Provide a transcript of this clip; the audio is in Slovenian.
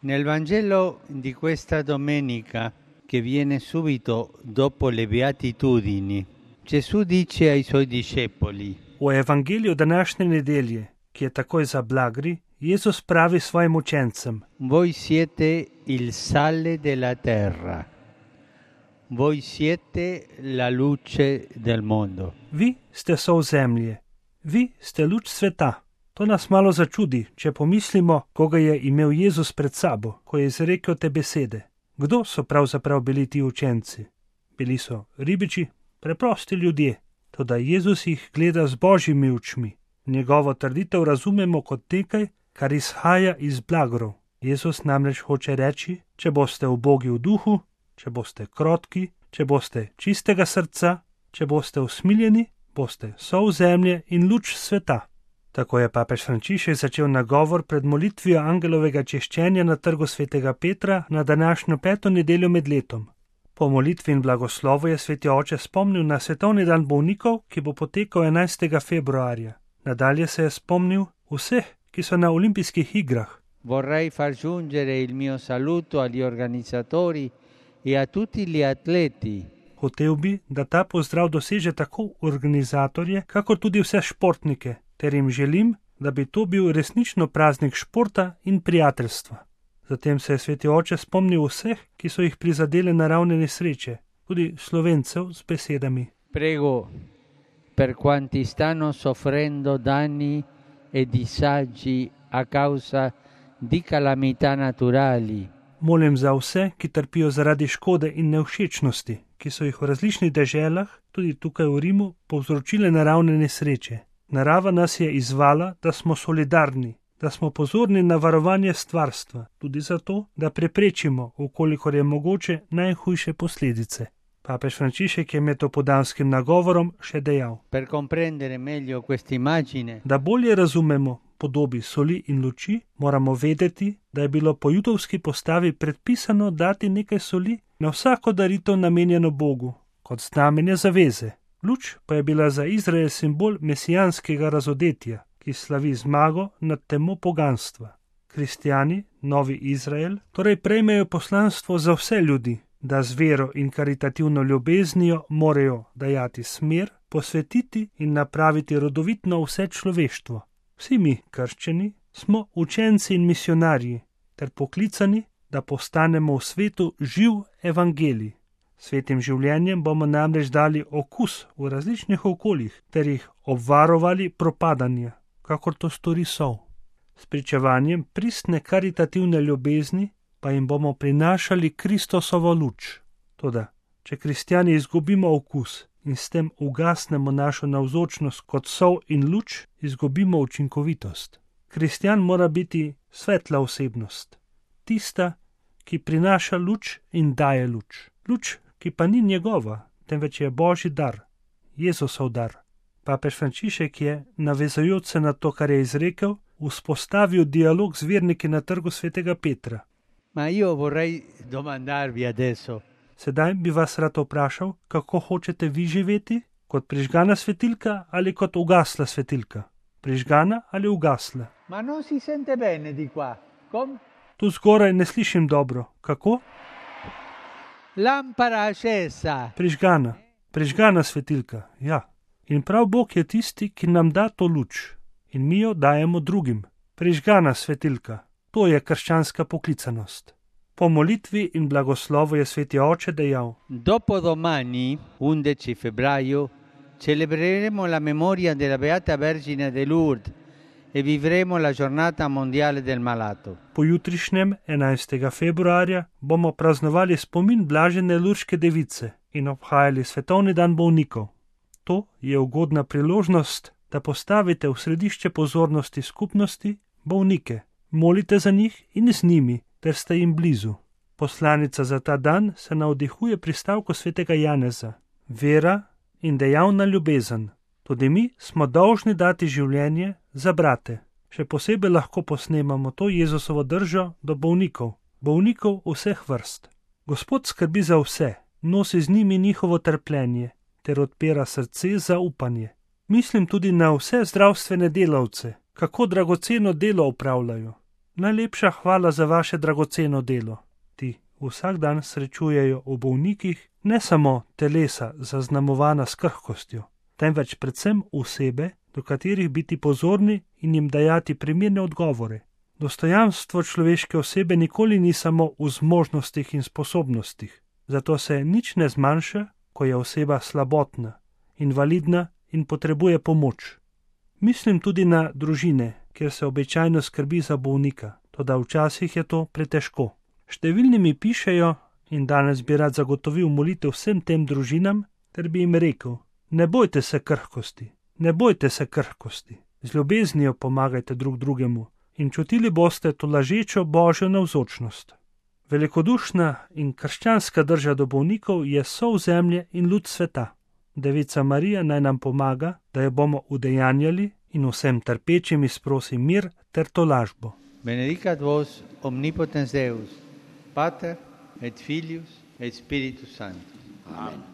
Nel Vangelo di questa domenica, che viene subito dopo le Beatitudini, Gesù dice ai suoi discepoli: U Evangeliju današnje nedelje, ki je takoj za blagri, Jezus pravi svojim učencem: Voi siete il sale della terra, voi siete la luce del mondo. Vi ste sol zemlje, vi ste luč sveta. To nas malo začudi, če pomislimo, koga je imel Jezus pred sabo, ko je izrekel te besede. Kdo so pravzaprav bili ti učenci? Bili so ribiči, preprosti ljudje, toda Jezus jih gleda z božjimi očmi. Njegovo trditev razumemo kot nekaj, kar izhaja iz blagrov. Jezus namreč hoče reči, če boste ubogi v duhu, če boste krotki, če boste čistega srca, če boste usmiljeni, boste sol zemlje in luč sveta. Tako je papež Frančišek začel nagovor pred molitvijo angelovega češčenja na trgu svetega Petra na današnjo 5. nedeljo med letom. Po molitvi in blagoslovu je sveti oče spomnil na svetovni dan bolnikov, ki bo potekal 11. februarja. Nadalje se je spomnil vseh, ki so na olimpijskih igrah. Vorrei far giungere il mio saluto agli organizzatori e a tutti gli atleti. Hotel bi, da ta pozdrav doseže tako organizatorje, kakor tudi vse športnike, ter jim želim, da bi to bil resnično praznik športa in prijateljstva. Zatem se je sveti oče spomnil vseh, ki so jih prizadele naravne nesreče, tudi Slovencev z besedami: Prego per quanti stanno soffrendo danni e disagi a causa di calamità naturali. Molim za vse, ki trpijo zaradi škode in nevšečnosti, ki so jih v različnih deželah, tudi tukaj v Rimu, povzročile naravne nesreče. Narava nas je izzvala, da smo solidarni, da smo pozorni na varovanje stvarstva, tudi zato, da preprečimo, ukolikor je mogoče, najhujše posledice. Papež Frančišek je med opoldanskim nagovorom še dejal: Per comprendere meglio questa immagine, da bolje razumemo podobi soli in luči, moramo vedeti, da je bilo po judovski postavi predpisano dati nekaj soli na vsako daritev namenjeno Bogu, kot znamenje zaveze. Luč pa je bila za Izrael simbol mesijanskega razodetja, ki slavi zmago nad temo poganstva. Kristjani, novi Izrael, torej prejmejo poslanstvo za vse ljudi, da z vero in karitativno ljubeznijo morajo dajati smer, posvetiti in napraviti rodovitno vse človeštvo. Vsi mi, krščeni, smo učenci in misionarji, ter poklicani, da postanemo v svetu živ evangelij. Svetim življenjem bomo namreč dali okus v različnih okoljih, ter jih obvarovali propadanja, kakor to stori sol. S pričevanjem pristne karitativne ljubezni pa jim bomo prinašali Kristosovo luč. Toda, če kristjani izgubimo okus in s tem ugasnemo našo navzočnost kot sol in luč, izgubimo učinkovitost. Kristjan mora biti svetla osebnost, tista, ki prinaša luč in daje luč. Luč, ki pa ni njegova, temveč je Božji dar, Jezusov dar. Papež Frančišek je, navezujoč se na to, kar je izrekel, vzpostavil dialog z verniki na trgu svetega Petra. Ma io vorrei domandarvi adesso. Sedaj bi vas rad vprašal, kako hočete vi živeti, kot prižgana svetilka ali kot ugasla svetilka? Prižgana ali ugasla? Ma non si sente bene di qua. Come? Tu zgoraj ne slišim dobro. Kako? Lampara accesa. Prižgana svetilka, ja. In prav Bog je tisti, ki nam da to luč. In mi jo dajemo drugim. Prižgana svetilka. To je krščanska poklicanost. Po molitvi in blagoslovu je sveti oče dejal: Dopodomani, 11 febbraio, celebreremo la memoria della Beata Vergine de Lourdes e vivremo la giornata mondiale del malato. Pojutrišnjem, 11. februarja, bomo praznovali spomin blažene Lurške device in obhajali svetovni dan bolnikov. To je ugodna priložnost, da postavite v središče pozornosti skupnosti bolnike, molite za njih in z njimi, ter ste jim blizu. Poslanica za ta dan se navdihuje pri stavku svetega Janeza: vera in dejavna ljubezen. Tudi mi smo dolžni dati življenje za brate. Še posebej lahko posnemamo to Jezusovo držo do bolnikov vseh vrst. Gospod skrbi za vse, nosi z njimi njihovo trpljenje, ter odpira srce za upanje. Mislim tudi na vse zdravstvene delavce, kako dragoceno delo opravljajo. Najlepša hvala za vaše dragoceno delo. Ti vsak dan srečujejo v bolnikih ne samo telesa zaznamovana s krhkostjo, temveč predvsem osebe, do katerih biti pozorni in jim dajati primerne odgovore. Dostojanstvo človeške osebe nikoli ni samo v zmožnostih in sposobnostih, zato se nič ne zmanjša, ko je oseba slabotna, invalidna in potrebuje pomoč. Mislim tudi na družine, kjer se običajno skrbi za bolnika, toda včasih je to pretežko. Številni mi pišejo in danes bi rad zagotovil molitev vsem tem družinam, ter bi jim rekel: ne bojte se krhkosti, ne bojte se krhkosti, z ljubeznijo pomagajte drug drugemu in čutili boste to lažečo Božjo navzočnost. Velikodušna in krščanska drža do bolnikov je sol zemlje in luč sveta. Devica Marija naj nam pomaga, da jo bomo udejanjali in vsem trpečim izprosi mir ter tolažbo. Benedicat vos omnipotens Deus, Pater et Filius et Spiritus Sanctus. Amen.